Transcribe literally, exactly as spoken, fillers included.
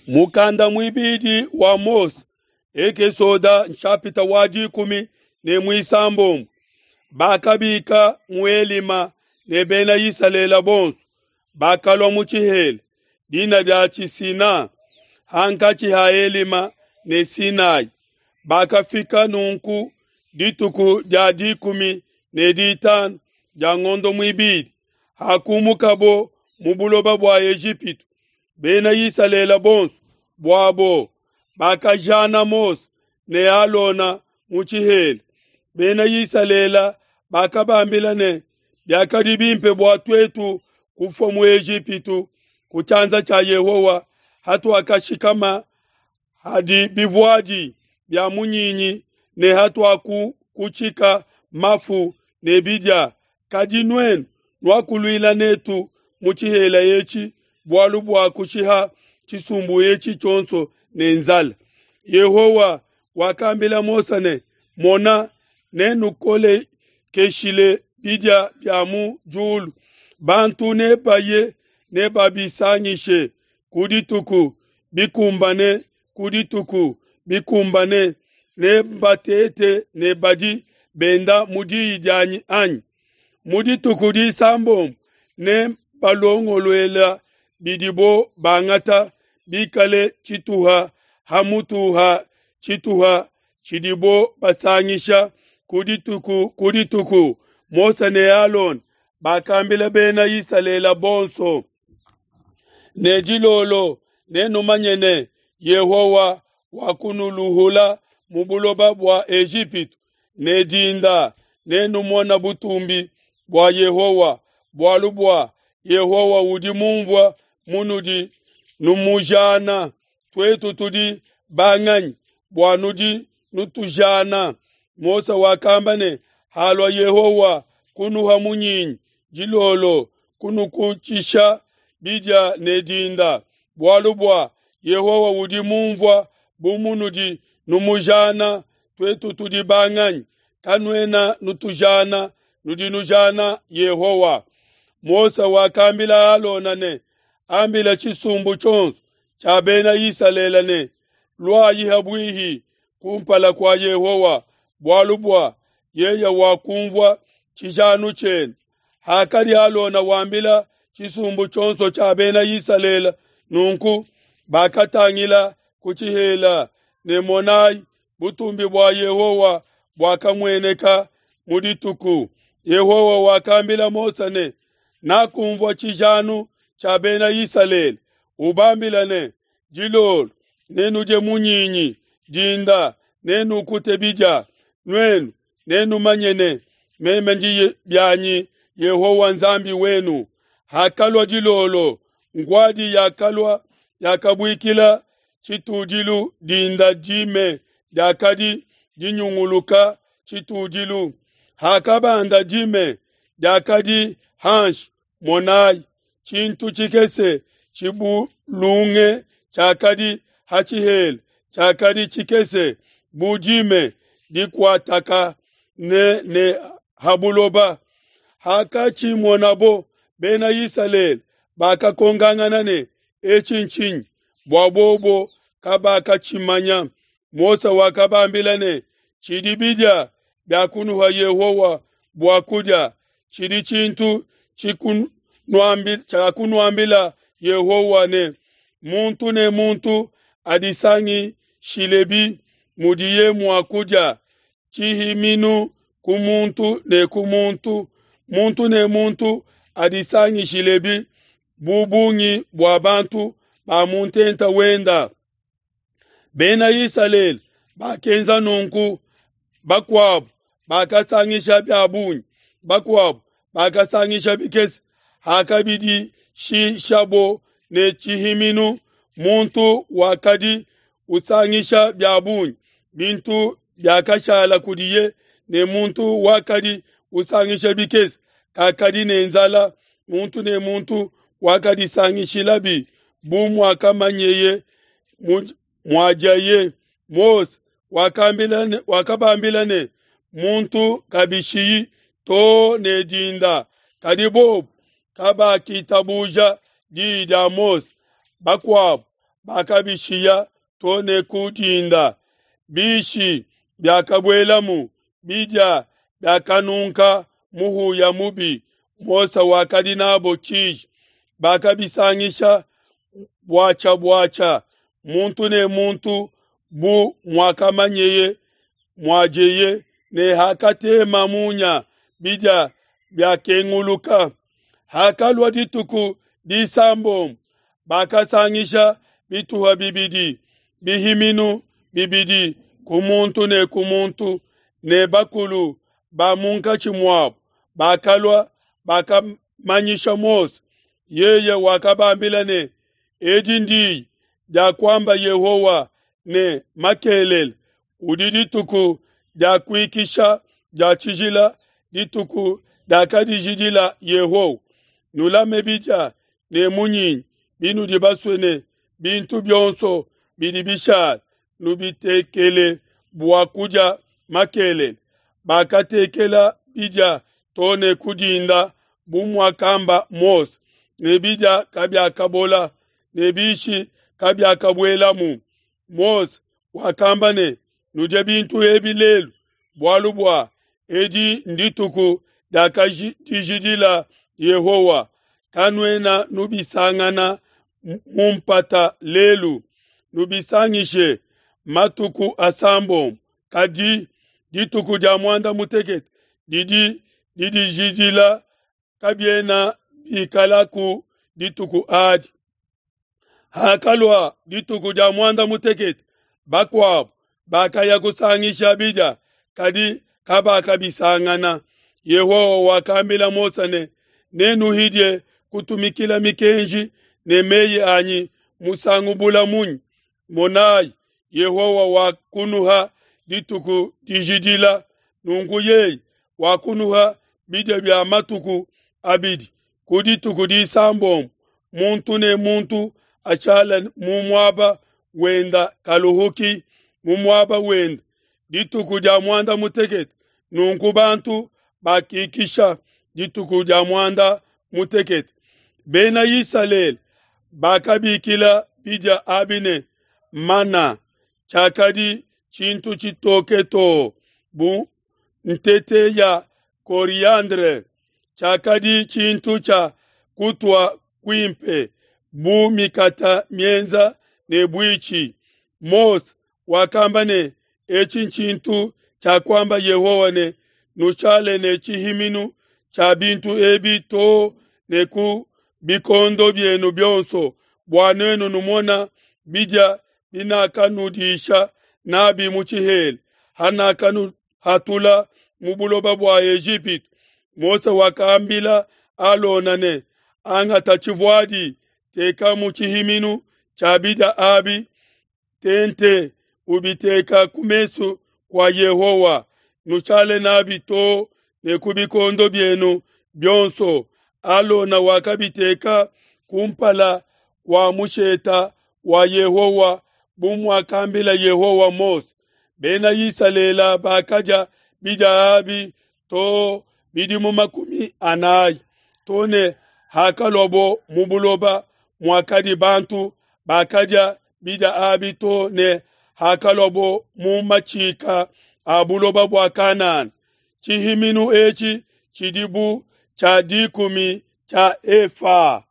Mukanda muibidi wa Mose, Ekesoda nshapita wa dikumi ne muisambombo. Bakabika mu Elima ne bena Isalele bonso, bakalua mu tshihela, dina dia Sina, hankatshi ha Elima ne Sinai. Bakafika nunku dituku dia dikumi ne ditanu dia ngondo muibidi, hakumukabo mu buloba bua Ejipitu. Bena Isalele bonso buabo bakajana Mose ne Alona mu tshihela. Bena Isalele bakabambila ne, biakadi bimpe bua tuetu kufua mu Ejipitu ku tshianza tshia Yehowa, hatuakashikama hadi bivuadi bia munyinyi ne hatuakukutshika mafu ne bidia. Kadi nuenu nuakuluila netu mu tshihela etshi bualu bua kushiha tshisumbu etshi tshionso ne nzala. Yehowa wakambila Mose ne, Mona, nenukolekeshile bidia bia mu diulu, bantu nebaye nebabisangishe ku dituku bikumbane ku dituku bikumbane, nebatete ne badi benda mu diyi dianyi anyi? Mu dituku disambombo ne balongoluela bidibo bangata bikale tshituha ha mutu ha tshituha tshidibo basangisha ku dituku ku dituku. Mose ne Alona bakambila bena Isalele bonso ne, dilolo nenumanye ne, Yehowa wakunuluhula mu buloba bua Ejipitu, ne dinda nenumona butumbi bua Yehowa, bualu bua Yehowa udi mumvua munudi numujana. Tuetu tudi banganyi bua nudi nutujana? Mose wakamba ne, halua Yehowa kunuha munyinyi dilolo, kunukutshisha bidia ne dinda, bualu bua Yehowa udi mumvua bu munudi numujana. Tuetu tudi banganyi? Kanuena nutujana, nudi nujana Yehowa. Mose wakambila Alona ne, ambila tshisumbu tshionso tshia bena Isalele ne, luayi habuihi kumpala kua Yehowa, bualu bua yeye wakumvua tshijanu tshienu. Hakadi Alona wambila tshisumbu tshionso tshia bena Isalele nunku, bakatangila ku tshihela, ne monai, butumbi bua Yehowa buakamueneka mu dituku. Yehowa wakambila Mose ne, nakumvua tshijanu tshia bena Isalele, ubambila ne, dilolo nenudie munyinyi, dinda nenukute bidia, nuenu nenumanye ne, meme ndi bianyi Yehowa Nzambi wenu. Hakalua dilolo, nguadi yakalua yakabuikila tshitudilu, dinda dime diakadi dinyunguluka tshitudilu. Hakabanda dime diakadi hanshi, monai, tshintu tshikese tshibulunge tshiakadi ha tshihela, tshiakadi tshikese bu dime dikuataka ne ne ha buloba. Hakatshimonabo bena Isalele bakakongangana ne, etshi ntshinyi? Bua bobo kabakatshimanya. Mose wakabambila ne, tshidi bidia bia kunuha Yehowa bua kudia, tshidi tshintu tshiakunuambila Yehowa ne, muntu ne muntu adisangishilebi mudiye mua kudia, tshihiminu ku muntu ne ku muntu, muntu ne muntu adisangishilebi bu bungi bua bantu ba mu ntenta wenda. Bena Isalele bakenza nunku, bakuabo bakasangisha bia bungi, bakuabo bakasangisha bikese. Hakabidishishabo ne tshihiminu, muntu wakadi usangisha bia bungi, bintu biakashala kudiye, ne muntu wakadi usangisha bikese kakadi ne nzala. Muntu ne muntu wakadisangishilabi bu muakamanyeye muadiaye. Mose wakambila wakabambila ne, muntu kabishiyi to ne dinda. Kadi bobo kabakitabuja diyi dia Mose. Bakuabo bakabishiya to ne ku dinda. Bishi biakabuelamu, bidia biakanunka muhuya mubi. Mose wakadi nabo tshiji. Bakabisangisha buatshia-buatshia, muntu ne muntu bu muakamanyeye muadieye, ne hakatema munya bidia biakenguluka. Hakalua dituku disambombo, bakasangisha bituha bibidi, bihiminu bibidi ku muntu ne ku muntu, ne bakulu ba munkatshi muabo bakalua, bakamanyisha Mose. Yeye wakabambila ne, Edi ndiyi diakuamba Yehowa ne, Makelela udi dituku dia kuikisha dia tshijila, dituku diakadijidila Yehowa. Nulame bidia ne munyinyi binudi basue ne bintu bionso bidi bishala nubitekele bua kudia makelela. Bakatekela bidia to ne ku dinda bu muakamba Mose, ne bidia kabiakabola ne bishi kabiakabuelamu. Mose wakamba ne, Nudie bintu ebi lelu, bualu bua edi ndituku diakadijidila Yehowa. Kanuena nubisangana mu mpata lelu, nubisangishe matuku asambombo, kadi dituku dia muanda mutekete didi didijidila, kabiena bikalaku dituku adi. Hakalua dituku dia muanda mutekete, bakuabo bakaya kusangisha bidia, kadi kabakabisangana. Yehowa wakambila Mose ne, Nenuhidie kutumikila mikenji ne meyi anyi musangu bula munyi? Monayi, Yehowa wakunuha dituku dijidila, nunku yeye wakunuha bidia bia matuku abidi ku dituku disambombo, muntu ne muntu ashale mu muaba wenda kaluhuki mu muaba wenda dituku dia muanda mutekete. Nunku bantu bakikisha dituku dia muanda mutekete. Bena Isalele bakabikila bidia abi ne mana, tshiakadi tshintu tshitoke too bu ntete ya coriandre, tshiakadi tshintu tshia kutua kuimpe bu mikata mienza ne buitshi. Mose wakamba ne, Etshi ntshintu tshiakuamba Yehowa ne, Nushale ne tshihiminu tshia bintu ebi too ne ku bikondo bienu bionso, bua nuenu numona bidia binakanudisha nabi mu tshihela, hanakanuhatula mu buloba bua Ejipitu. Mose wakambila Alona ne, Angata tshivuadi, teka mu tshihiminu tshia bidia abi tente, ubiteka ku mesu kua Yehowa, nushale nabi too ne ku bikondo bienu bionso. Alona wakabiteka kumpala kua musheta wa Yehowa bu muakambila Yehowa Mose. Bena Isalele bakadia bidia abi too bidimu makumi anayi, too ne hakaluabo mu buloba muakadi bantu bakadia bidia abi too ne hakaluabo mu matshika a buloba bua Kanana. Tshihiminu etshi tshidi bu tshia dikumi tshia efa.